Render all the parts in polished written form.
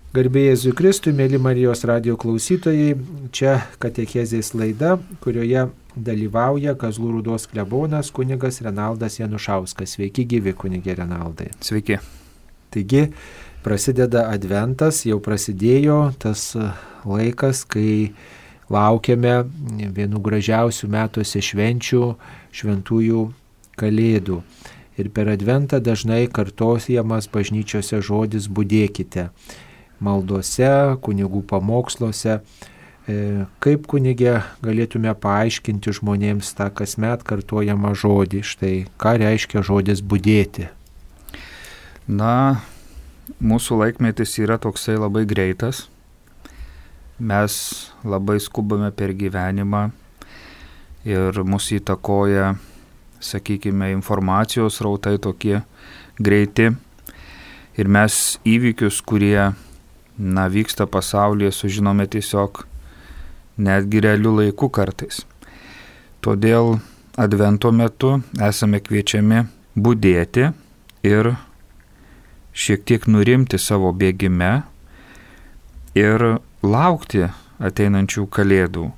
Garbė Jėzui Kristui, mėly Marijos radijo klausytojai, čia katechezės laida, kurioje dalyvauja Kazlų Rūdos klebonas kunigas Renaldas Janušauskas. Sveiki gyvi, kunigė Renaldai. Sveiki. Taigi prasideda adventas, jau prasidėjo tas laikas, kai laukiame vienų gražiausių metuose švenčių, šventųjų Kalėdų. Ir per adventą dažnai kartojamas bažnyčiose žodis budėkite. Maldose, kunigų pamoksluose. Kaip kunigė galėtume paaiškinti žmonėms tą kasmet kartojamą žodį? Štai ką reiškia žodis budėti? Na, mūsų laikmetis yra toksai labai greitas. Mes labai skubame per gyvenimą ir mus įtakoja, sakykime, informacijos srautai tokie greiti. Ir mes įvykius, kurie vyksta pasaulyje, sužinome tiesiog netgi realių laikų kartais. Todėl advento metu esame kviečiami budėti ir šiek tiek nurimti savo bėgime ir laukti ateinančių Kalėdų,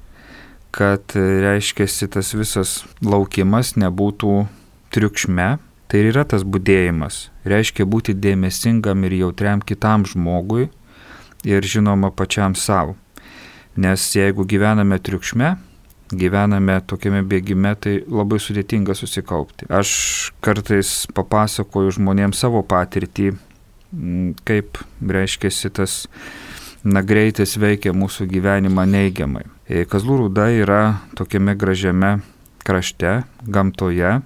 kad reiškiasi tas visas laukimas nebūtų triukšme. Tai yra tas budėjimas. Reiškia būti dėmesingam ir jautriam kitam žmogui ir žinoma pačiam savo. Nes jeigu gyvename triukšme, gyvename tokiame bėgime, tai labai sudėtinga susikaupti. Aš kartais papasakoju žmonėms savo patirtį, kaip reiškiasi tas greitis veikia mūsų gyvenimą neigiamai. Kazlų Rūda yra tokiame gražiame krašte, gamtoje,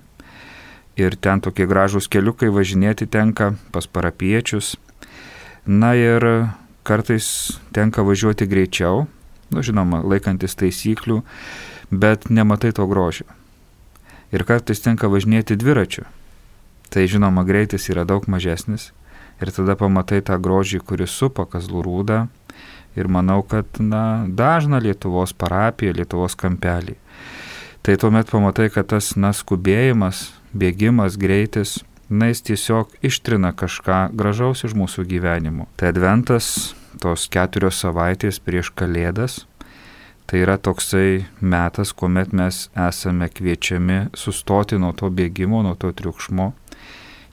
ir ten tokie gražūs keliukai važinėti tenka pas parapiečius. Na ir kartais tenka važiuoti greičiau, žinoma, laikantis taisyklių, bet nematai to grožio. Ir kartais tenka važinėti dviračiu. Tai žinoma, greitis yra daug mažesnis. Ir tada pamatai tą grožį, kuris supa Kazlų Rūdą. Ir manau, kad dažna Lietuvos parapija, Lietuvos kampelį. Tai tuomet pamatai, kad tas skubėjimas, bėgimas, greitis, jis tiesiog ištrina kažką gražaus iš mūsų gyvenimo. Tai adventas, tos 4 savaitės prieš Kalėdas, tai yra toksai metas, kuomet mes esame kviečiami sustoti nuo to bėgimo, nuo to triukšmo,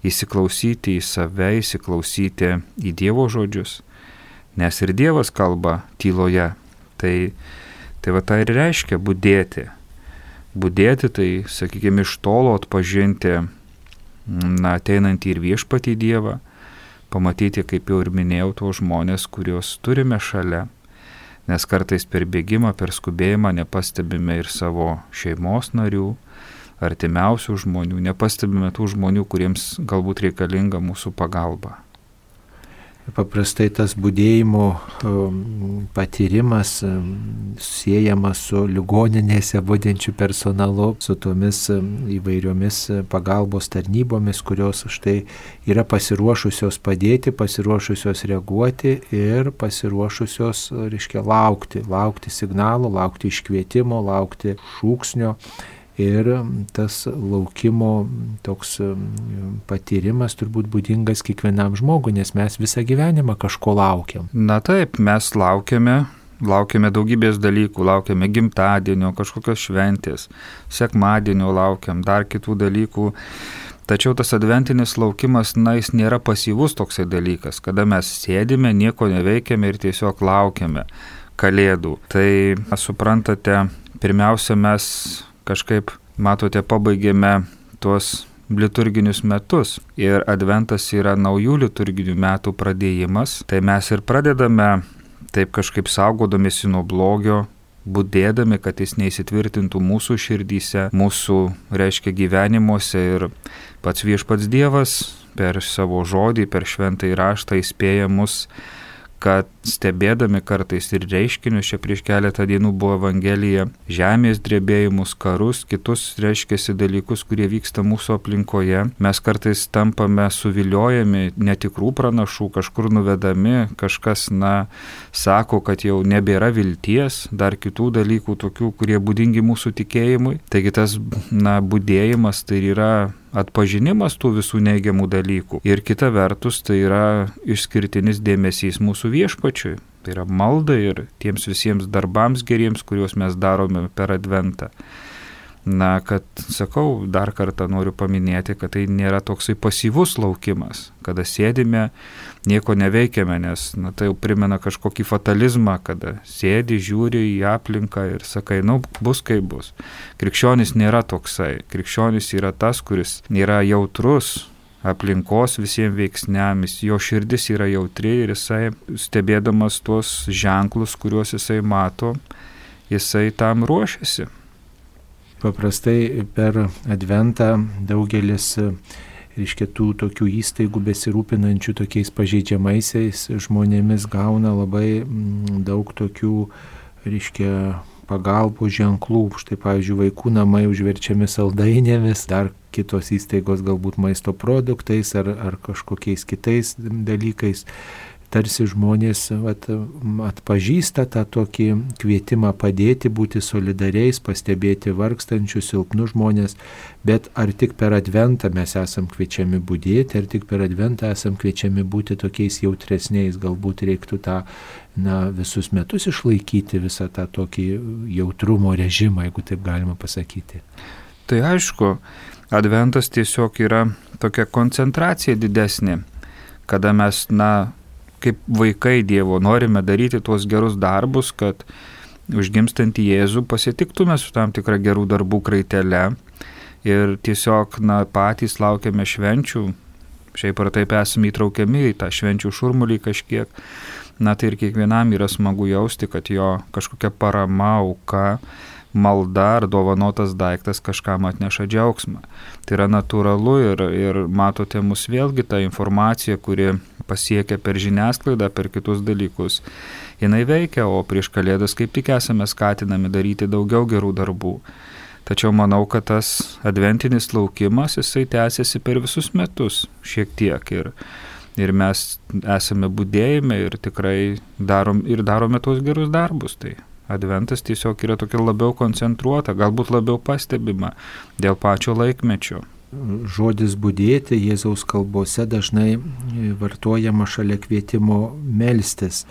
įsiklausyti į save, įsiklausyti į Dievo žodžius, nes ir Dievas kalba tyloje. Tai tai ir reiškia budėti. Budėti, tai, sakykime, iš tolo atpažinti ateinantį ir viešpatį Dievą, pamatyti, kaip jau ir minėjau, tuos žmonės, kuriuos turime šalia, nes kartais per bėgimą, per skubėjimą nepastebime ir savo šeimos narių, artimiausių žmonių, nepastebime tų žmonių, kuriems galbūt reikalinga mūsų pagalba. Paprastai tas budėjimo patyrimas siejamas su ligoninėse budinčiu personalu, su tomis įvairiomis pagalbos tarnybomis, kurios štai yra pasiruošusios padėti, pasiruošusios reaguoti ir pasiruošusios, laukti signalų, laukti iškvietimo, laukti šūksnio. Ir tas laukimo toks patyrimas turbūt būdingas kiekvienam žmogui, nes mes visą gyvenimą kažko laukiam. Na taip, mes laukiame daugybės dalykų, laukiame gimtadienio, kažkokios šventės, sekmadienio laukiam, dar kitų dalykų. Tačiau tas adventinis laukimas, jis nėra pasyvus toksai dalykas, kada mes sėdime, nieko neveikiame ir tiesiog laukiame Kalėdų. Tai, suprantate, pirmiausia mes kažkaip, matote, pabaigėme tuos liturginius metus ir adventas yra naujų liturginių metų pradėjimas, tai mes ir pradedame taip kažkaip saugodamėsi nuo blogio, budėdami, kad jis neįsitvirtintų mūsų širdyse, mūsų, gyvenimuose, ir pats viešpats Dievas per savo žodį, per šventąjį raštą įspėja mus, kad stebėdami kartais ir reiškinius, čia prieš keletą dienų buvo Evangelija, žemės drebėjimus, karus, kitus reiškiasi dalykus, kurie vyksta mūsų aplinkoje, mes kartais tampame suviliojami netikrų pranašų, kažkur nuvedami, kažkas, sako, kad jau nebėra vilties, dar kitų dalykų tokių, kurie būdingi mūsų tikėjimui. Taigi tas, budėjimas tai yra atpažinimas tų visų neigiamų dalykų. Ir kita vertus, tai yra išskirtinis dėmesys mūsų viešpačiui. Tai yra malda ir tiems visiems darbams geriems, kuriuos mes darome per Adventą. Kad, sakau, dar kartą noriu paminėti, kad tai nėra toksai pasyvus laukimas, kada sėdime, nieko neveikiame, nes tai jau primena kažkokį fatalizmą, kada sėdi, žiūri į aplinką ir sakai, bus kaip bus. Krikščionis nėra toksai. Krikščionis yra tas, kuris yra jautrus aplinkos visiems veiksniams, jo širdis yra jautri ir jisai, stebėdamas tuos ženklus, kuriuos jisai mato, jisai tam ruošiasi. Paprastai per Adventą daugelis, tų tokių įstaigų besirūpinančių tokiais pažeidžiamaisiais žmonėmis gauna labai daug tokių, pagalbos ženklų. Štai, pavyzdžiui, vaikų namai užverčiami saldainėmis, dar kitos įstaigos galbūt maisto produktais ar kažkokiais kitais dalykais. Tarsi žmonės atpažįsta tą tokį kvietimą padėti, būti solidariais, pastebėti vargstančius, silpnus žmonės, bet ar tik per Adventą mes esam kviečiami budėti, ar tik per Adventą esam kviečiami būti tokiais jautresniais, galbūt reiktų tą visus metus išlaikyti visą tą tokį jautrumo režimą, jeigu taip galima pasakyti. Tai aišku, Adventas tiesiog yra tokia koncentracija didesnė, kada mes, kaip vaikai Dievo, norime daryti tuos gerus darbus, kad užgimstantį Jėzų pasitiktume su tam tikra gerų darbų kraitele ir tiesiog patys laukiame švenčių, šiaip ar taip esame įtraukiami į tą švenčių šurmulį kažkiek, tai ir kiekvienam yra smagu jausti, kad jo kažkokia parama, auka, malda ar dovanotas daiktas kažkam atneša džiaugsmą. Tai yra natūralu ir matote mus vėlgi tą informaciją, kuri pasiekia per žiniasklaidą, per kitus dalykus. Jinai veikia, o prieš Kalėdas kaip tik esame skatinami daryti daugiau gerų darbų. Tačiau manau, kad tas adventinis laukimas, jisai tęsiasi per visus metus šiek tiek ir mes esame budėjime ir tikrai darome tuos gerus darbus. Tai Adventas tiesiog yra tokia labiau koncentruota, galbūt labiau pastebima dėl pačio laikmečio. Žodis budėti Jėzaus kalbose dažnai vartojama šalia kvietimo melstis.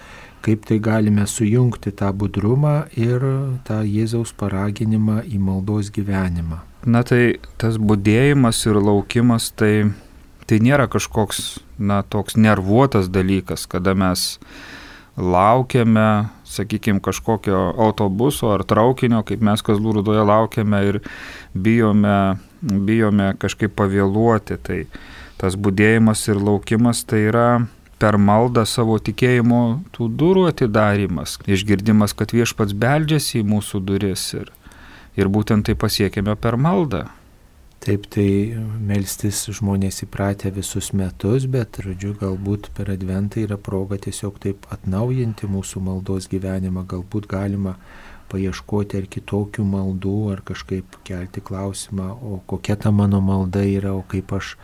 Kaip tai galime sujungti tą budrumą ir tą Jėzaus paraginimą į maldos gyvenimą? Tai tas budėjimas ir laukimas tai nėra kažkoks toks nervuotas dalykas, kada mes laukiame, sakykime, kažkokio autobuso ar traukinio, kaip mes Kazlų Rūdoje laukiame ir bijome kažkaip pavėluoti. Tai tas budėjimas ir laukimas tai yra per maldą savo tikėjimo tų durų atidarimas, išgirdimas, kad Viešpats beldžiasi į mūsų duris ir būtent tai pasiekėme per maldą. Taip, tai melstis žmonės įpratę visus metus, bet, galbūt per Adventą yra proga tiesiog taip atnaujinti mūsų maldos gyvenimą. Galbūt galima paieškoti ar kitokių maldų, ar kažkaip kelti klausimą, o kokia ta mano malda yra, o kaip aš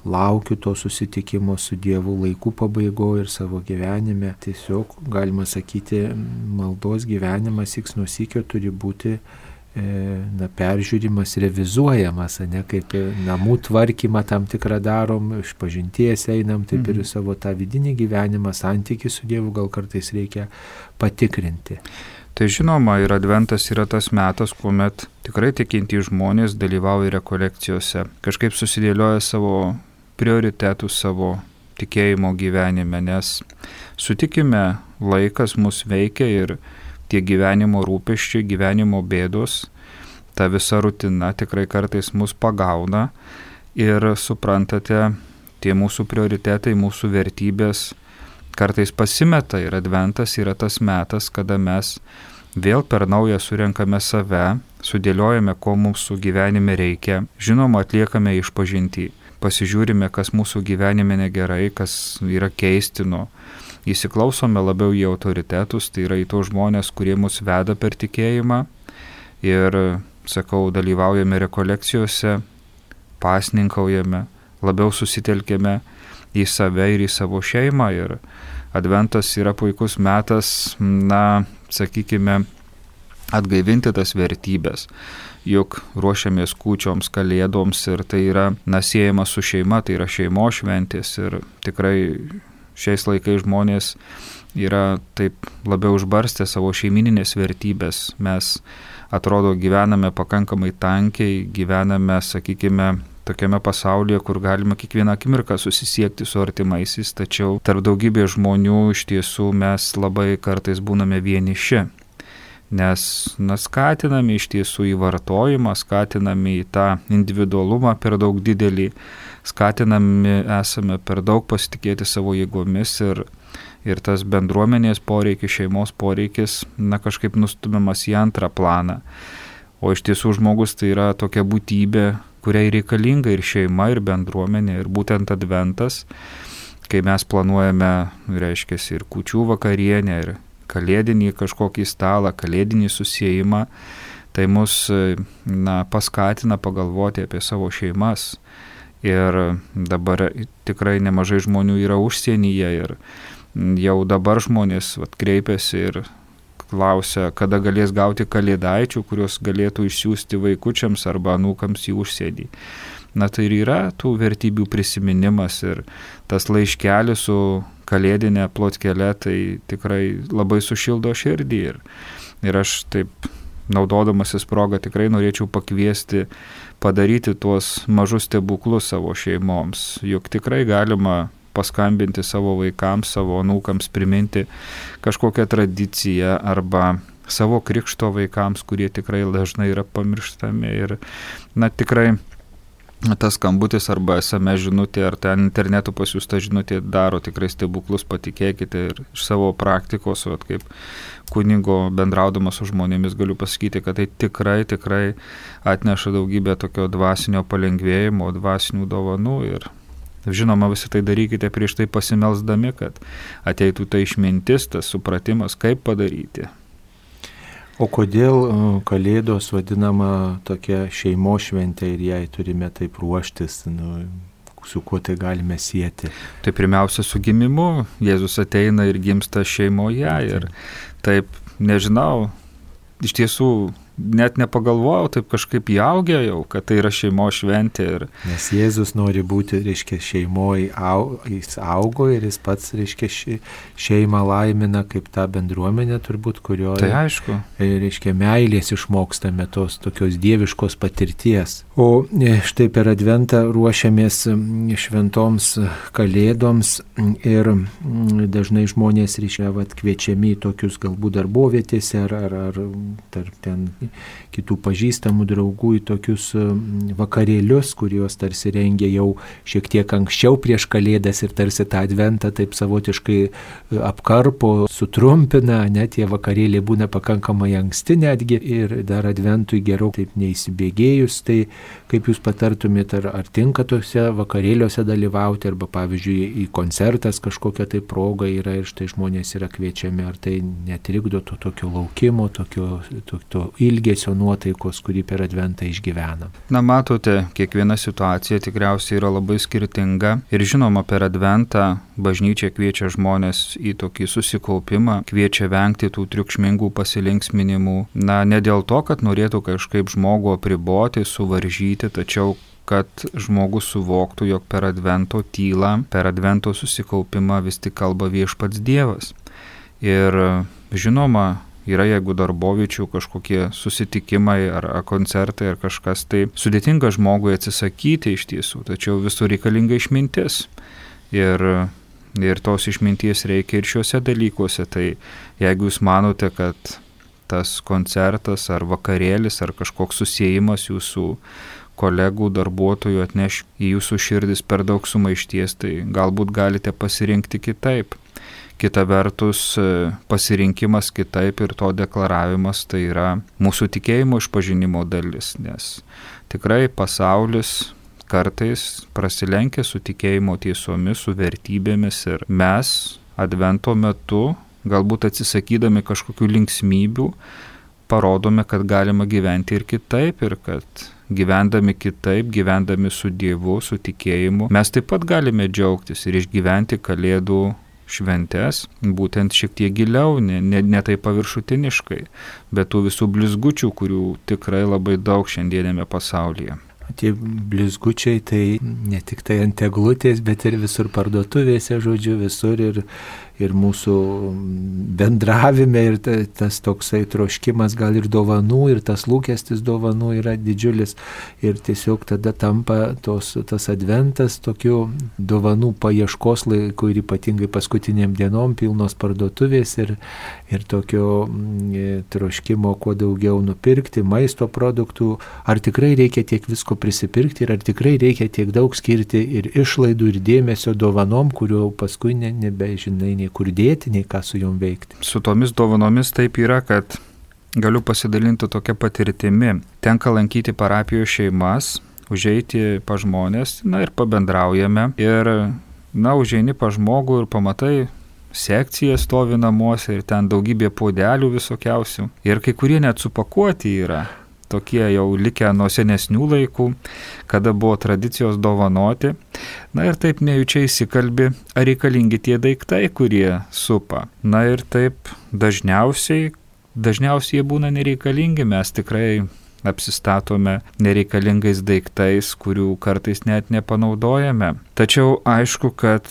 laukiu to susitikimo su Dievu laikų pabaigoje ir savo gyvenime. Tiesiog, galima sakyti, maldos gyvenimas iks nuo sykio turi būti peržiūrimas, revizuojamas, kaip namų tvarkymą tam tikrą darom, išpažinties einam, taip ir savo tą vidinį gyvenimą, santykį su Dievu gal kartais reikia patikrinti. Tai žinoma, ir Adventas yra tas metas, kuomet tikrai tikintys žmonės dalyvauja rekolekcijose, kažkaip susidėlioja savo prioritetus savo tikėjimo gyvenime, nes sutikime, laikas mus veikia ir tie gyvenimo rūpesčiai, gyvenimo bėdos, ta visa rutina tikrai kartais mus pagauna ir suprantate, tie mūsų prioritetai, mūsų vertybės kartais pasimeta ir Adventas yra tas metas, kada mes vėl per naują surenkame save, sudėliojame, ko mūsų gyvenime reikia, žinoma, atliekame išpažintį, pasižiūrime, kas mūsų gyvenime negerai, kas yra keistino, įsiklausome labiau į autoritetus, tai yra į tos žmonės, kurie mus veda per tikėjimą ir, sakau, dalyvaujame rekolekcijose, pasninkaujame, labiau susitelkėme į save ir į savo šeimą ir Adventas yra puikus metas, sakykime, atgaivinti tas vertybės. Juk ruošiamės kūčioms, kalėdoms ir tai yra siejama su šeima, tai yra šeimos šventės ir tikrai šiais laikais žmonės yra taip labiau užbarstę savo šeimininės vertybės. Mes, atrodo, gyvename pakankamai tankiai, gyvename, sakykime, tokiame pasaulyje, kur galima kiekvieną akimirką susisiekti su artimaisiais, tačiau tarp daugybės žmonių iš tiesų mes labai kartais būname vieniši. Nes skatinami iš tiesų į vartojimą, skatinami į tą individualumą per daug didelį, skatinami esame per daug pasitikėti savo jėgomis ir tas bendruomenės poreikis, šeimos poreikis, kažkaip nustumiamas į antrą planą. O iš tiesų žmogus tai yra tokia būtybė, kuriai reikalinga ir šeima, ir bendruomenė, ir būtent Adventas, kai mes planuojame, reiškia, ir kūčių vakarienę, ir kalėdinį kažkokį stalą, kalėdinį susiejimą, tai mus paskatina pagalvoti apie savo šeimas. Ir dabar tikrai nemažai žmonių yra užsienyje ir jau dabar žmonės kreipiasi ir klausia, kada galės gauti kalėdaičių, kuriuos galėtų išsiųsti vaikučiams arba anūkams į užsienį. Tai ir yra tų vertybių prisiminimas ir tas laiškelis su kalėdinė plotkele, tai tikrai labai sušildo širdį. Ir aš taip, naudodamasis progą, tikrai norėčiau pakviesti padaryti tuos mažus stebuklus savo šeimoms. Juk tikrai galima paskambinti savo vaikams, savo anūkams, priminti kažkokią tradiciją arba savo krikšto vaikams, kurie tikrai dažnai yra pamirštami. Ir tikrai tas skambutis arba SMS žinutė ar ten internetu pasiųsta žinutė daro tikrai stebuklus, patikėkite. Ir iš savo praktikos, kaip kunigo bendraudamas su žmonėmis galiu pasakyti, kad tai tikrai atneša daugybę tokio dvasinio palengvėjimo, dvasinių dovanų. Ir žinoma, visi tai darykite prieš tai pasimelsdami, kad ateitų ta išmintis, tas supratimas, kaip padaryti. O kodėl Kalėdos vadinama tokia šeimos šventė ir jai turime taip ruoštis, su kuo tai galime sieti? Tai pirmiausia su gimimu. Jėzus ateina ir gimsta šeimoje ir taip, nežinau, iš tiesų net nepagalvojau, taip kažkaip įaugė jau, kad tai yra šeimos šventė. Nes Jėzus nori būti, reiškia, šeimoje, jis augo ir jis pats, reiškia, šeimą laimina kaip tą bendruomenę turbūt, kurioje, tai aišku, reiškia, meilės išmokstame tos tokios dieviškos patirties. O štai per Adventą ruošiamės šventoms kalėdoms ir dažnai žmonės, reiškia, kviečiami į tokius galbūt darbovietėse ar tarp ten kitų pažįstamų draugų į tokius vakarėlius, kuriuos tarsi rengia jau šiek tiek anksčiau prieš Kalėdas ir tarsi tą Adventą taip savotiškai apkarpo, sutrumpina, net tie vakarėliai būna pakankamai anksti netgi ir dar Adventui geriau taip neįsibėgėjus. Tai kaip jūs patartumėte, ar tinka tose vakarėliuose dalyvauti, arba pavyzdžiui į koncertas kažkokia tai proga yra ir štai žmonės yra kviečiami, ar tai netrikdo to tokio laukimo, tokio ilgesio nuotaikos, kurį per Adventą išgyvenam? Matote, kiekviena situacija tikriausiai yra labai skirtinga ir žinoma, per Adventą bažnyčia kviečia žmonės į tokį susikaupimą, kviečia vengti tų triukšmingų pasilinksminimų. Ne dėl to, kad norėtų kažkaip žmogų apriboti, suvaržyti, tačiau kad žmogus suvoktų, jog per Advento tylą, per Advento susikaupimą vis tik kalba viešpats Dievas. Ir žinoma, yra, jeigu darbovičių kažkokie susitikimai ar koncertai ar kažkas, tai sudėtinga žmogui atsisakyti iš tiesų, tačiau visur reikalinga išmintis. Ir tos išminties reikia ir šiuose dalykuose. Tai jeigu jūs manote, kad tas koncertas ar vakarėlis ar kažkoks susiejimas jūsų kolegų, darbuotojų atneš į jūsų širdis per daug sumaišties, tai galbūt galite pasirinkti kitaip. Kita vertus, pasirinkimas kitaip ir to deklaravimas tai yra mūsų tikėjimo išpažinimo dalis, nes tikrai pasaulis kartais prasilenkia su tikėjimo tiesomis, su vertybėmis ir mes Advento metu, galbūt atsisakydami kažkokių linksmybių, parodome, kad galima gyventi ir kitaip, ir kad gyvendami kitaip, gyvendami su Dievu, su tikėjimu, mes taip pat galime džiaugtis ir išgyventi Kalėdų šventes, būtent šiek tiek giliau, ne taip paviršutiniškai, bet tų visų blizgučių, kurių tikrai labai daug šiandienėme pasaulyje. Tie blizgučiai tai ne tik tai ant eglutės, bet ir visur parduotuvėse, žodžiu, visur ir mūsų bendravime ir tas toksai troškimas gal ir dovanų, ir tas lūkestis dovanų yra didžiulis ir tiesiog tada tampa tas adventas tokių dovanų paieškos laiku ir ypatingai paskutiniam dienom pilnos parduotuvės ir tokio troškimo kuo daugiau nupirkti, maisto produktų, ar tikrai reikia tiek visko prisipirkti ir ar tikrai reikia tiek daug skirti ir išlaidų ir dėmesio dovanom, kuriuo paskui nebežinai nei kur dėti, nei ką su jom veikti. Su tomis dovanomis taip yra, kad galiu pasidalinti tokia patirtimi. Tenka lankyti parapijos šeimas, užeiti pa žmonės, ir pabendraujame. Ir, užeini pa žmogų ir pamatai, sekcija stovi namuose ir ten daugybė puodelių visokiausių. Ir kai kurie net supakuoti yra. Tokie jau likę nuo senesnių laikų, kada buvo tradicijos dovanoti. Ir taip nejučia įsikalbi, ar reikalingi tie daiktai, kurie supa. Ir taip dažniausiai jie būna nereikalingi, mes tikrai apsistatome nereikalingais daiktais, kurių kartais net nepanaudojame. Tačiau aišku, kad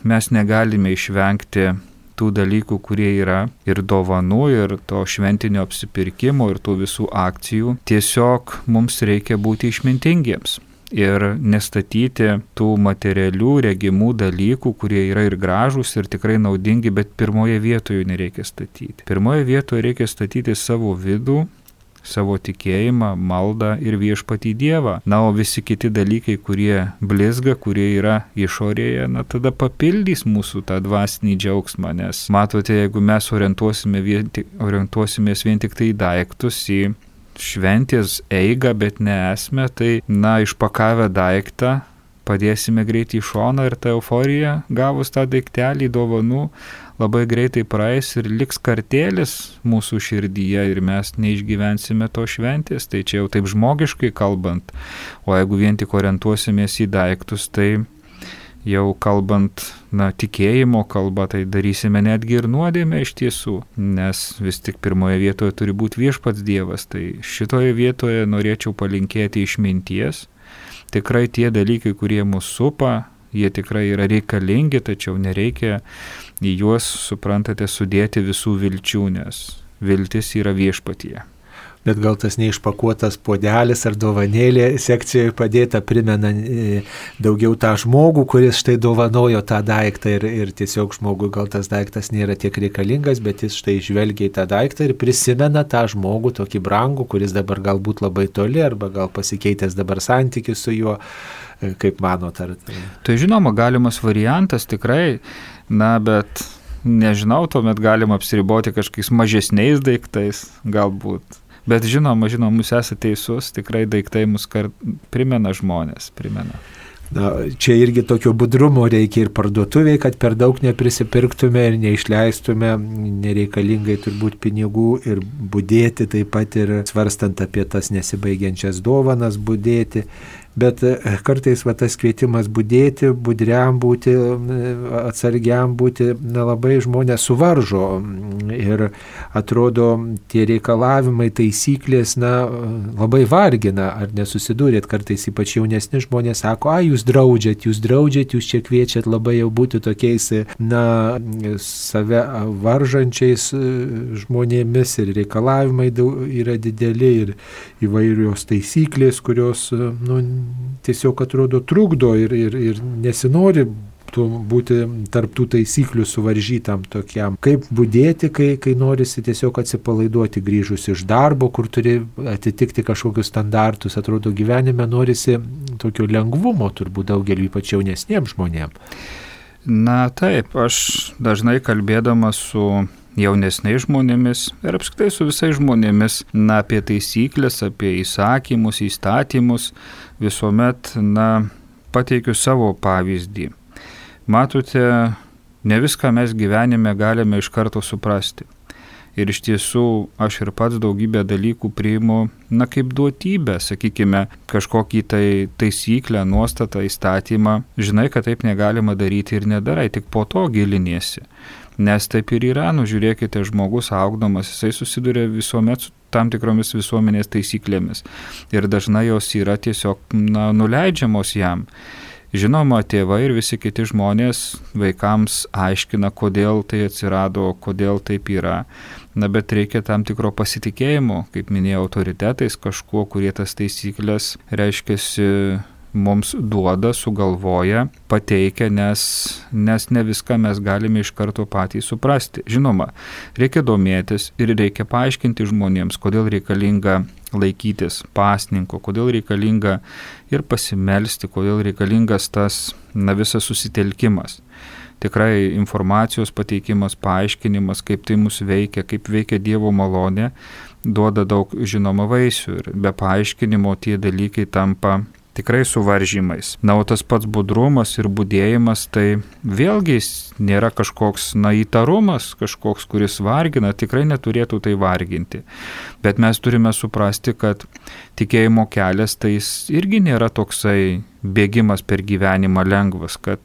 mes negalime išvengti tų dalykų, kurie yra ir dovanų, ir to šventinio apsipirkimo, ir tų visų akcijų. Tiesiog mums reikia būti išmintingiems ir nestatyti tų materialių, regimų dalykų, kurie yra ir gražūs, ir tikrai naudingi, bet pirmoje vietoje nereikia statyti. Pirmoje vietoje reikia statyti savo vidų, savo tikėjimą, maldą ir viešpatį Dievą. O visi kiti dalykai, kurie blizga, kurie yra išorėje, tada papildys mūsų tą dvasinį džiaugsmą, nes matote, jeigu mes orientuosimės vien tik tai į daiktus, į šventės eigą, bet ne esmę, tai išpakavę daiktą padėsime greitai į šoną ir ta euforija, gavus tą daiktelį dovanų, labai greitai praeis ir liks kartėlis mūsų širdyje ir mes neišgyvensime to šventės. Tai čia jau taip žmogiškai kalbant, o jeigu vien tik orientuosimės į daiktus, tai jau kalbant, tikėjimo kalba, tai darysime netgi ir nuodėmę iš tiesų, nes vis tik pirmoje vietoje turi būti viešpats Dievas. Tai šitoje vietoje norėčiau palinkėti išminties. Tikrai tie dalykai, kurie mus supa, jie tikrai yra reikalingi, tačiau nereikia į juos, suprantate, sudėti visų vilčių, nes viltis yra viešpatyje. Bet gal tas neišpakuotas puodelis ar dovanėlė sekcijoje padėta primena daugiau tą žmogų, kuris štai dovanojo tą daiktą ir tiesiog žmogui gal tas daiktas nėra tiek reikalingas, bet jis štai žvelgia į tą daiktą ir prisimena tą žmogų tokį brangų, kuris dabar galbūt labai toli arba gal pasikeitęs dabar santykis su juo, kaip manot, ar tai? Tai žinoma, galimas variantas tikrai, bet nežinau, tuomet galima apsiriboti kažkokiais mažesniais daiktais galbūt. Bet žinoma, jūs esate teisus, tikrai daiktai mus primena žmonės, primena. Čia irgi tokio budrumo reikia ir parduotuviai, kad per daug neprisipirktume ir neišleistume nereikalingai turbūt pinigų ir budėti, taip pat ir svarstant apie tas nesibaigiančias dovanas budėti. Bet kartais tas kvietimas budėti, budriam būti, atsargiam būti, labai žmonės suvaržo ir atrodo tie reikalavimai, taisyklės, labai vargina, ar nesusidūrėt kartais, ypač jaunesni žmonės sako, jūs draudžiat, jūs čia kviečiat labai jau būti tokiais, save varžančiais žmonėmis ir reikalavimai yra dideli ir įvairios taisyklės, kurios, tiesiog atrodo trukdo ir nesinori būti tarptų taisyklių suvaržytam tokiam. Kaip budėti, kai norisi tiesiog atsipalaiduoti grįžus iš darbo, kur turi atitikti kažkokius standartus. Atrodo, gyvenime norisi tokio lengvumo turbūt daugeliu, ypač jaunesniems žmonėms. Taip, aš dažnai kalbėdamas su jaunesniais žmonėmis ir apskritai su visais žmonėmis, apie taisyklės, apie įsakymus, įstatymus, visuomet, pateikiu savo pavyzdį. Matote, Ne viską mes gyvenime galime iš karto suprasti. Ir iš tiesų aš ir pats daugybę dalykų priimu, kaip duotybę, sakykime, kažkokį taisyklę, nuostatą, įstatymą. Žinai, kad taip negalima daryti ir nedarai, tik po to giliniesi. Nes taip ir yra, žiūrėkite, žmogus augdamas, jisai susiduria visuomet su tam tikromis visuomenės taisyklėmis. Ir dažnai jos yra tiesiog nuleidžiamos jam. Žinoma, tėvai ir visi kiti žmonės vaikams aiškina, kodėl tai atsirado, kodėl taip yra. Bet reikia tam tikro pasitikėjimo, kaip minėjau, autoritetais kažkuo, kurie tas taisyklės reiškiasi mums duoda, sugalvoja, pateikia, nes ne viską mes galime iš karto patys suprasti. Žinoma, reikia domėtis ir reikia paaiškinti žmonėms, kodėl reikalinga laikytis pasninko, kodėl reikalinga ir pasimelsti, kodėl reikalingas tas visas susitelkimas. Tikrai informacijos pateikimas, paaiškinimas, kaip tai mus veikia, kaip veikia Dievo malonė, duoda daug žinoma vaisių ir be paaiškinimo tie dalykai tampa tikrai suvaržymais. O tas pats budrumas ir budėjimas, tai vėlgi nėra kažkoks įtarumas, kažkoks, kuris vargina, tikrai neturėtų tai varginti. Bet mes turime suprasti, kad tikėjimo kelias tai irgi nėra toksai bėgimas per gyvenimą lengvas, kad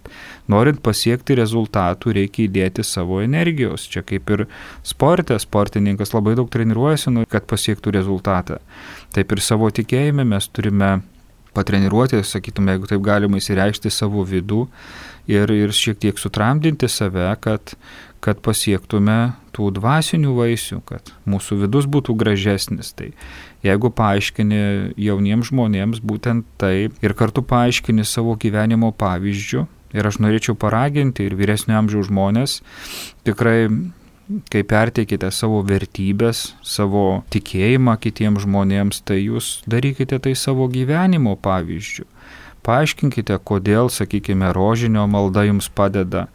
norint pasiekti rezultatų reikia įdėti savo energijos. Čia kaip ir sportininkas labai daug treniruojasi, kad pasiektų rezultatą. Taip ir savo tikėjime mes turime patreniruoti, sakytume, jeigu taip galima įsireikšti savo vidų ir šiek tiek sutramdinti save, kad pasiektume tų dvasinių vaisių, kad mūsų vidus būtų gražesnis. Tai jeigu paaiškini jauniems žmonėms būtent tai ir kartu paaiškini savo gyvenimo pavyzdžių, ir aš norėčiau paraginti ir vyresnio amžiaus žmonės, tikrai kai perteikite savo vertybės, savo tikėjimą kitiems žmonėms, tai jūs darykite tai savo gyvenimo pavyzdžių. Paaiškinkite, kodėl, sakykime, rožinio malda jums padeda,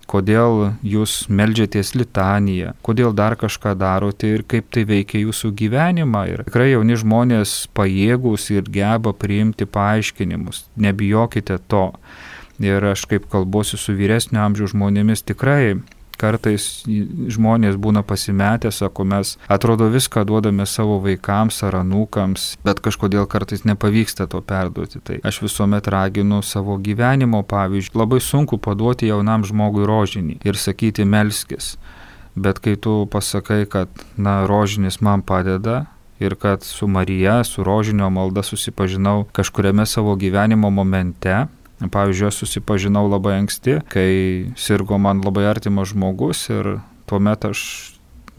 kodėl jūs meldžiatės litaniją, kodėl dar kažką darote ir kaip tai veikia jūsų gyvenimą. Ir tikrai jauni žmonės pajėgūs ir geba priimti paaiškinimus, nebijokite to. Ir aš kaip kalbuosiu su vyresnio amžiaus žmonėmis, tikrai kartais žmonės būna pasimetę, sako, mes atrodo viską duodame savo vaikams ar anūkams, bet kažkodėl kartais nepavyksta to perduoti. Tai aš visuomet raginu savo gyvenimo pavyzdžiui. Labai sunku paduoti jaunam žmogui rožinį ir sakyti melskis, bet kai tu pasakai, kad rožinis man padeda ir kad su Marija, su rožinio malda susipažinau kažkuriame savo gyvenimo momente. Pavyzdžiui, aš susipažinau labai anksti, kai sirgo man labai artimas žmogus ir tuomet aš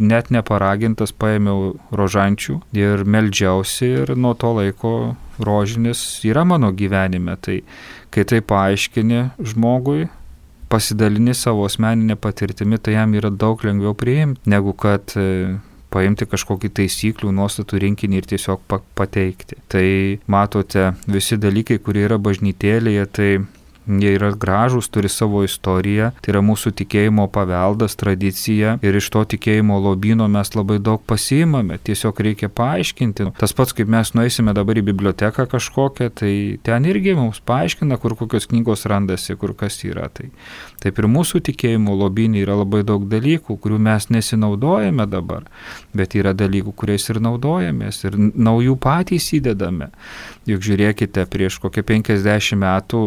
net neparagintas paėmiau rožančių ir meldžiausi ir nuo to laiko rožinis yra mano gyvenime. Tai kai tai paaiškini žmogui, pasidalini savo asmeninę patirtimį, tai jam yra daug lengviau priimti, negu kad paimti kažkokį taisyklių, nuostatų rinkinį ir tiesiog pateikti. Tai matote, visi dalykai, kurie yra bažnytėlėje, tai jie yra gražūs, turi savo istoriją, tai yra mūsų tikėjimo paveldas, tradicija ir iš to tikėjimo lobyno mes labai daug pasiimame, tiesiog reikia paaiškinti. Tas pats, kaip mes nueisime dabar į biblioteką kažkokią, tai ten irgi mums paaiškina, kur kokios knygos randasi, kur kas yra. Tai taip ir mūsų tikėjimo lobynė yra labai daug dalykų, kurių mes nesinaudojame dabar, bet yra dalykų, kuriais ir naudojamės ir naujų patys įdedame. Juk žiūrėkite, prieš kokią 50 metų,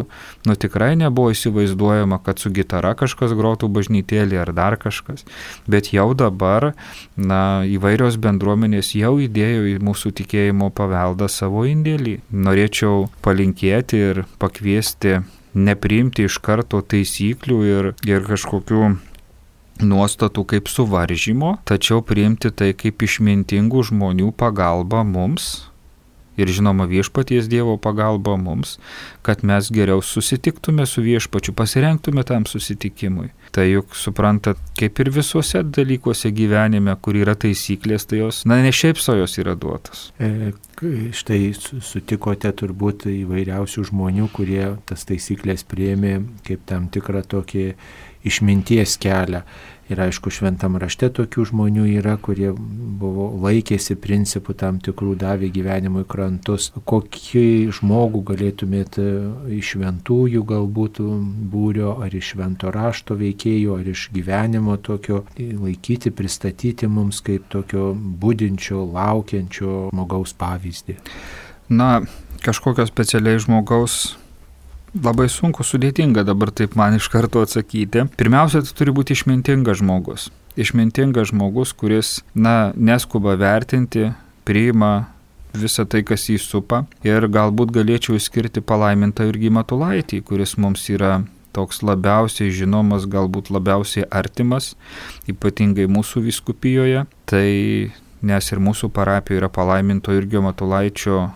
tikrai nebuvo įsivaizduojama, kad su gitara kažkas grotų bažnytėlį ar dar kažkas, bet jau dabar įvairios bendruomenės jau įdėjo į mūsų tikėjimo paveldą savo indėlį. Norėčiau palinkėti ir pakviesti nepriimti iš karto taisyklių ir kažkokių nuostatų kaip suvaržymo, tačiau priimti tai kaip išmintingų žmonių pagalba mums ir žinoma viešpaties Dievo pagalba mums, kad mes geriau susitiktume su viešpačiu, pasirengtume tam susitikimui. Tai juk suprantat, kaip ir visuose dalykuose gyvenime, kur yra taisyklės, tai jos, ne šiaip so jos yra duotos. Štai sutikote turbūt įvairiausių žmonių, kurie tas taisyklės priėmė kaip tam tikrą tokį išminties kelią. Ir aišku, šventam rašte tokių žmonių yra, kurie laikėsi principų tam tikrų, davė gyvenimui krantus. Kokį žmogų galėtumėt iš šventųjų galbūt būrio, ar iš švento rašto veikėjų, ar iš gyvenimo tokio laikyti, pristatyti mums kaip tokio budinčio, laukiančio žmogaus pavyzdį? Na, kažkokio specialiai žmogaus labai sunku, sudėtinga dabar taip man iš karto atsakyti. Pirmiausia, tai turi būti išmintingas žmogus. Išmintingas žmogus, kuris, neskuba vertinti, priima visą tai, kas jį supa. Ir galbūt galėčiau išskirti palaimintą Jurgį Matulaitį, kuris mums yra toks labiausiai žinomas, galbūt labiausiai artimas, ypatingai mūsų vyskupijoje. Tai nes ir mūsų parapijoje yra palaiminto Jurgio Matulaičio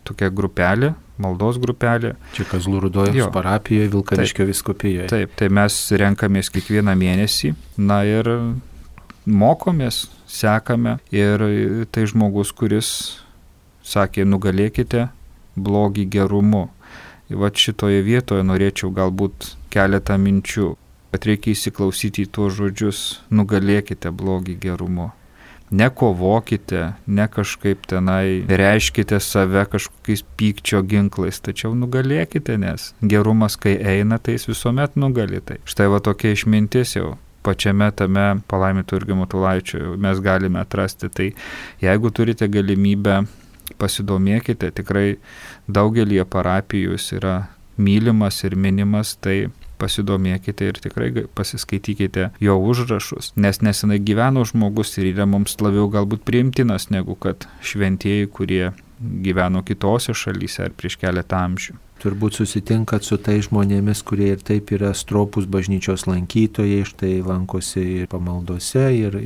tokia grupelė, maldos grupelė. Čia Kazlų Rūdos parapijoje, Vilkaviškio vyskupijoje. Taip, tai mes renkamės kiekvieną mėnesį, ir mokomės, sekame. Ir tai žmogus, kuris sakė, nugalėkite blogį gerumu. Vat šitoje vietoje norėčiau galbūt keletą minčių, kad reikia įsiklausyti į tuos žodžius, nugalėkite blogį gerumu. Nekovokite, ne kažkaip tenai reiškite save kažkokiais pykčio ginklais, tačiau nugalėkite, nes gerumas, kai eina, tai jis visuomet nugali. Tai štai va tokia išmintis jau pačiame tame palaiminto Jurgio Matulaičio mes galime atrasti. Tai jeigu turite galimybę, pasidomėkite, tikrai daugelį parapijų jis yra mylimas ir minimas, tai pasidomėkite ir tikrai pasiskaitykite jo užrašus, nes nesenai gyveno žmogus ir yra mums labiau galbūt priimtinas negu kad šventieji, kurie gyveno kitose šalyse ar prieš keletą amžių. Turbūt susitinkat su tai žmonėmis, kurie ir taip yra stropūs bažnyčios lankytojai, štai lankosi ir pamaldose ir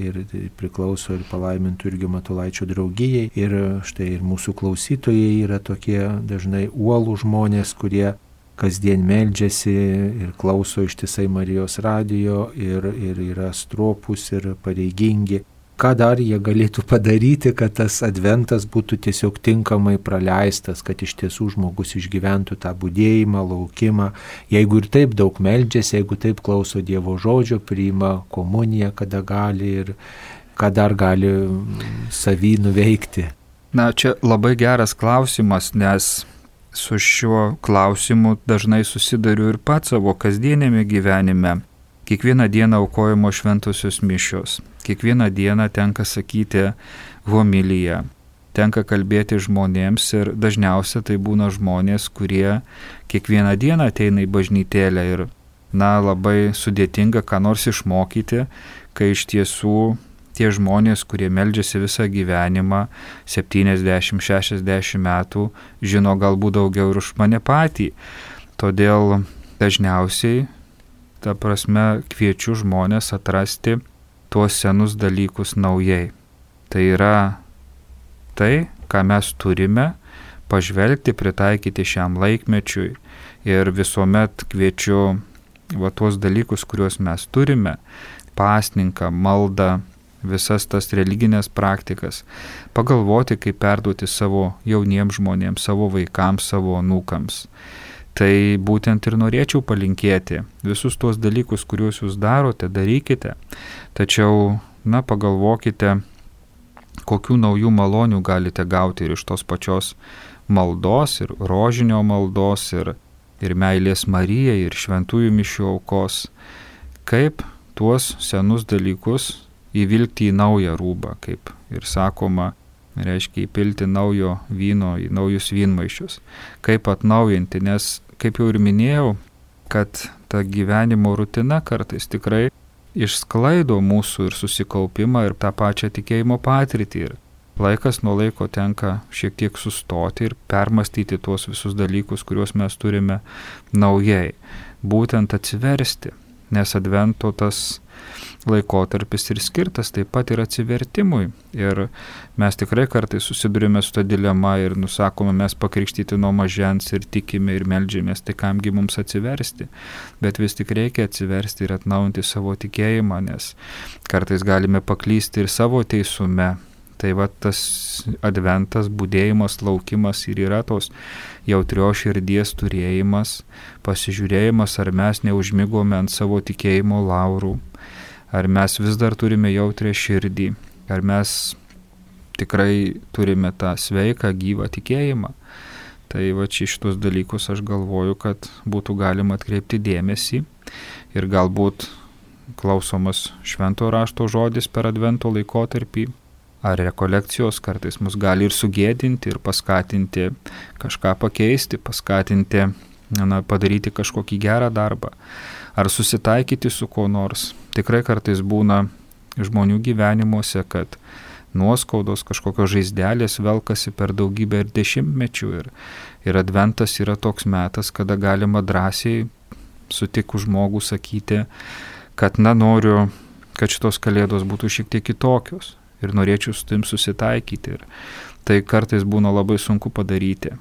priklauso ir palaimintų Jurgio Matulaičio draugijai. Ir štai ir mūsų klausytojai yra tokie dažnai uolų žmonės, kurie kasdien meldžiasi ir klauso ištisai Marijos radijo ir yra stropūs ir pareigingi. Ką dar jie galėtų padaryti, kad tas adventas būtų tiesiog tinkamai praleistas, kad iš tiesų žmogus išgyventų tą budėjimą, laukimą. Jeigu ir taip daug meldžiasi, jeigu taip klauso Dievo žodžio, priima komuniją, kada gali ir ką dar gali savy nuveikti. Čia labai geras klausimas, nes su šiuo klausimu dažnai susiduriu ir pats savo kasdienėme gyvenime. Kiekvieną dieną aukojamos šventosios mišios, kiekvieną dieną tenka sakyti homiliją, tenka kalbėti žmonėms ir dažniausiai tai būna žmonės, kurie kiekvieną dieną ateina į bažnytėlę ir labai sudėtinga ką nors išmokyti, kai iš tiesų tie žmonės, kurie meldžiasi visą gyvenimą, 70-60 metų, žino galbūt daugiau ir už mane patį. Todėl dažniausiai, kviečiu žmonės atrasti tuos senus dalykus naujai. Tai yra tai, ką mes turime, pažvelgti, pritaikyti šiam laikmečiui. Ir visuomet kviečiu tuos dalykus, kuriuos mes turime, pasninką, maldą, visas tas religinės praktikas, pagalvoti, kaip perduoti savo jauniems žmonėms, savo vaikams, savo anūkams. Tai būtent ir norėčiau palinkėti. Visus tuos dalykus, kuriuos jūs darote, darykite. Tačiau, pagalvokite, kokių naujų malonių galite gauti ir iš tos pačios maldos, ir rožinio maldos, ir meilės Marijai, ir šventųjų mišių aukos. Kaip tuos senus dalykus įvilkti į naują rūbą, kaip ir sakoma, reiškia įpilti naujo vyno į naujus vynmaišius. Kaip atnaujinti, nes, kaip jau ir minėjau, kad ta gyvenimo rutina kartais tikrai išsklaido mūsų ir susikaupimą ir tą pačią tikėjimo patirtį. Ir laikas nuo laiko tenka šiek tiek sustoti ir permastyti tuos visus dalykus, kuriuos mes turime naujai. Būtent atsiversti, nes advento tas laikotarpis ir skirtas taip pat ir atsivertimui. Ir mes tikrai kartais susidurime su ta dilema ir nusakome, mes pakrikštyti nuo mažens ir tikime ir meldžiamės, tai kamgi mums atsiversti. Bet vis tik reikia atsiversti ir atnaujinti savo tikėjimą, nes kartais galime paklysti ir savo teisume. Tai va tas adventas, budėjimas, laukimas ir yra tos jautrios širdies turėjimas, pasižiūrėjimas, ar mes neužmigome ant savo tikėjimo laurų, ar mes vis dar turime jautrią širdį, ar mes tikrai turime tą sveiką, gyvą tikėjimą. Tai va čia šitus dalykus aš galvoju, kad būtų galima atkreipti dėmesį ir galbūt klausomas šventojo rašto žodis per advento laikotarpį ar rekolekcijos kartais mus gali ir sugėdinti ir paskatinti kažką pakeisti, paskatinti padaryti kažkokį gerą darbą ar susitaikyti su kuo nors. Tikrai kartais būna žmonių gyvenimuose, kad nuoskaudos, kažkokios žaizdelės velkasi per daugybę ir dešimtmečių ir adventas yra toks metas, kada galima drąsiai sutikus žmogų sakyti, kad noriu, kad šitos kalėdos būtų šiek tiek kitokios ir norėčiau su tim susitaikyti. Ir tai kartais būna labai sunku padaryti,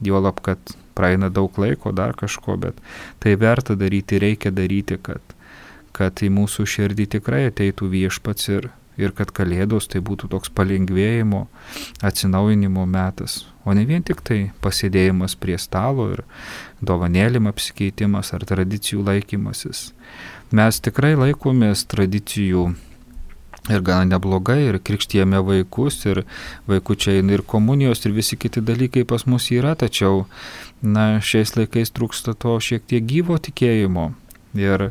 juolab, kad praeina daug laiko, dar kažko, bet tai verta daryti, reikia daryti, kad į mūsų širdį tikrai ateitų viešpats ir kad kalėdos tai būtų toks palengvėjimo, atsinaujinimo metas, o ne vien tik tai pasėdėjimas prie stalo ir dovanėlim apsikeitimas ar tradicijų laikymasis. Mes tikrai laikomės tradicijų ir gana neblogai, ir krikštijame vaikus, ir vaikučiai ir komunijos, ir visi kiti dalykai pas mus yra, tačiau šiais laikais trūksta to šiek tiek gyvo tikėjimo. Ir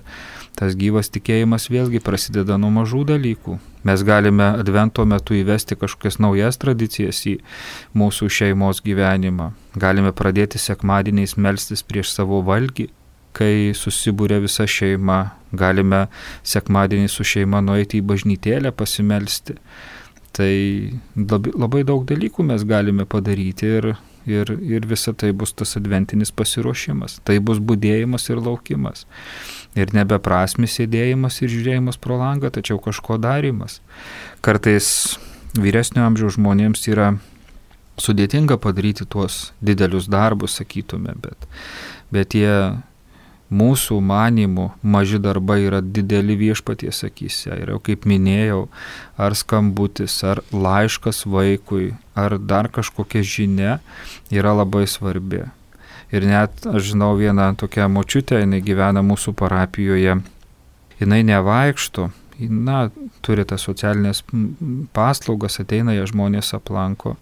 tas gyvas tikėjimas vėlgi prasideda nuo mažų dalykų. Mes galime advento metu įvesti kažkokias naujas tradicijas į mūsų šeimos gyvenimą. Galime pradėti sekmadieniais melstis prieš savo valgį, kai susibūrė visa šeima. Galime sekmadienį su šeima nueiti į bažnytėlę pasimelsti. Tai labai daug dalykų mes galime padaryti ir visa tai bus tas adventinis pasiruošimas. Tai bus budėjimas ir laukimas. Ir nebeprasmis sėdėjimas ir žiūrėjimas pro langą, tačiau kažko darymas. Kartais vyresnio amžiaus žmonėms yra sudėtinga padaryti tuos didelius darbus, sakytume, bet tie mūsų manymų maži darbai yra dideli viešpaties akyse. Ir jau kaip minėjau, ar skambutis, ar laiškas vaikui, ar dar kažkokia žinia yra labai svarbi. Ir net, aš žinau, vieną tokią močiutę, jinai gyvena mūsų parapijoje, jinai nevaikšto, turi tas socialinės paslaugas, ateina ją žmonės aplanko,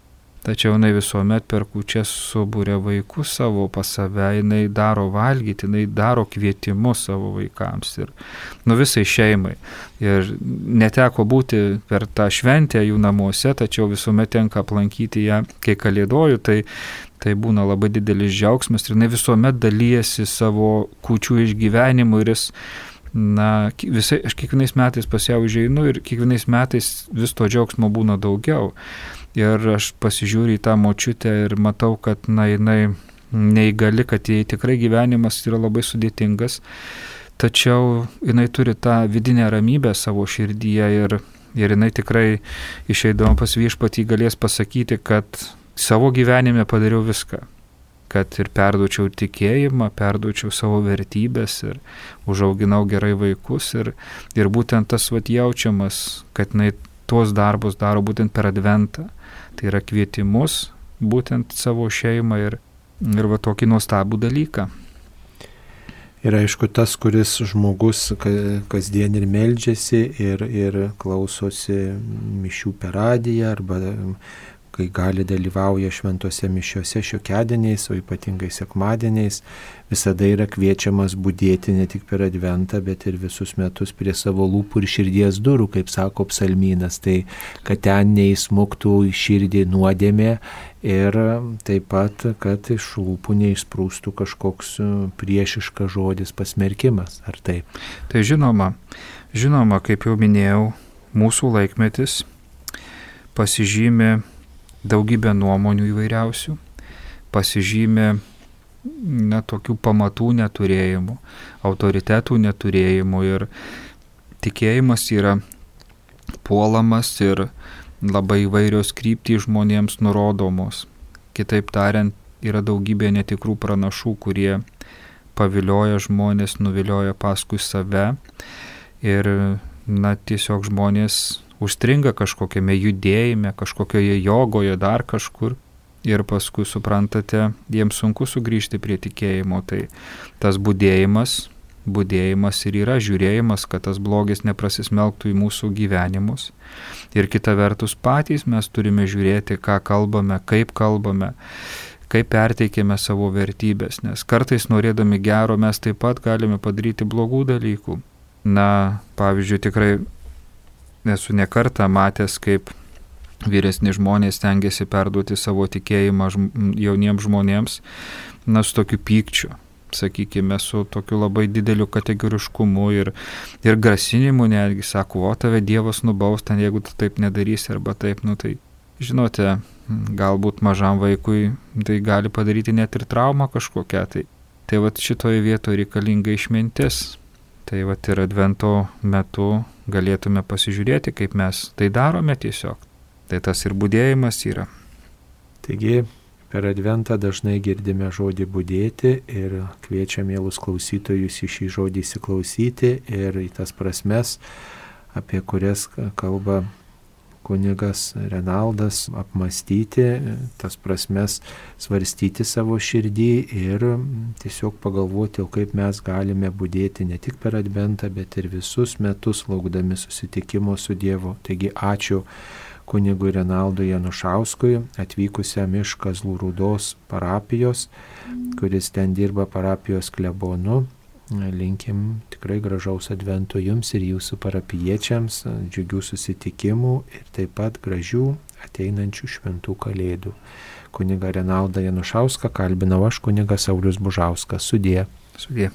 tačiau jinai visuomet per kūčias subūrė vaikus savo pas save, jinai daro valgyti, jinai daro kvietimus savo vaikams ir visai šeimai. Ir neteko būti per tą šventę jų namuose, tačiau visuomet tenka aplankyti ją, kai kalėdoju, tai būna labai didelis džiaugsmas ir jinai visuomet dalyjasi savo kūčių išgyvenimu ir aš kiekvienais metais pas ją užeinu ir kiekvienais metais vis to džiaugsmo būna daugiau. Ir aš pasižiūriu į tą močiutę ir matau, kad jinai neįgali, kad jai tikrai gyvenimas yra labai sudėtingas, tačiau jinai turi tą vidinę ramybę savo širdyje ir jinai tikrai išeidama pas viešpatį galės pasakyti, kad savo gyvenime padariau viską, kad ir perduočiau tikėjimą, perduočiau savo vertybės ir užauginau gerai vaikus ir būtent tas jaučiamas, kad jinai tuos darbus daro būtent per adventą. Tai yra kvietimus būtent savo šeimą ir tokį nuostabų dalyką. Ir aišku, tas, kuris žmogus kasdien ir meldžiasi ir klausosi mišių per radiją arba kai gali dalyvauja šventose mišiose šiokiadieniais, o ypatingai sekmadieniais, visada yra kviečiamas budėti ne tik per adventą, bet ir visus metus prie savo lūpų ir širdies durų, kaip sako psalmynas, tai kad ten neįsmuktų į širdį nuodėmė ir taip pat, kad iš lūpų neišsprūstų kažkoks priešiškas žodis pasmerkimas, ar taip? Tai žinoma, kaip jau minėjau, mūsų laikmetis pasižymi daugybę nuomonių įvairiausių, pasižymi tokių pamatų neturėjimų, autoritetų neturėjimų ir tikėjimas yra puolamas ir labai įvairios kryptys žmonėms nurodomos. Kitaip tariant, yra daugybė netikrų pranašų, kurie pavilioja žmonės, nuvilioja paskui save ir tiesiog žmonės užstringa kažkokiame judėjime, kažkokioje jogoje, dar kažkur. Ir paskui, suprantate, jiems sunku sugrįžti prie tikėjimo. Tai tas budėjimas ir yra žiūrėjimas, kad tas blogis neprasismelktų į mūsų gyvenimus. Ir kita vertus patys mes turime žiūrėti, ką kalbame, kaip perteikėme savo vertybės. Nes kartais norėdami gero mes taip pat galime padaryti blogų dalykų. Na, pavyzdžiui, tikrai esu ne kartą matęs, kaip vyresni žmonės stengiasi perduoti savo tikėjimą jauniems žmonėms, na, su tokiu pykčiu, sakykime, su tokiu labai dideliu kategoriškumu ir grasinimu netgi, sako, o tave Dievas nubaus ten, jeigu tu taip nedarysi arba taip, nu tai, žinote, galbūt mažam vaikui tai gali padaryti net ir traumą kažkokią, tai vat šitoje vietoje reikalinga išmintis. Tai vat ir Advento metu galėtume pasižiūrėti, kaip mes tai darome tiesiog. Tai tas ir budėjimas yra. Taigi per Adventą dažnai girdime žodį budėti ir kviečia mielus klausytojus į šį žodį įsiklausyti ir į tas prasmes, apie kurias kalba kunigas Renaldas, apmastyti, tas prasmes svarstyti savo širdį ir tiesiog pagalvoti, kaip mes galime budėti ne tik per Adventą, bet ir visus metus laukdami susitikimo su Dievu. Taigi ačiū kunigui Renaldui Janušauskui, atvykusiam iš Kazlų Rūdos parapijos, kuris ten dirba parapijos klebonu. Linkim tikrai gražaus Advento jums ir jūsų parapijiečiams, džiugių susitikimų ir taip pat gražių ateinančių šventų kalėdų. Kunigą Renaldą Janušauską kalbinau aš, kunigas Saulius Bužauskas. Sudie. Sudie.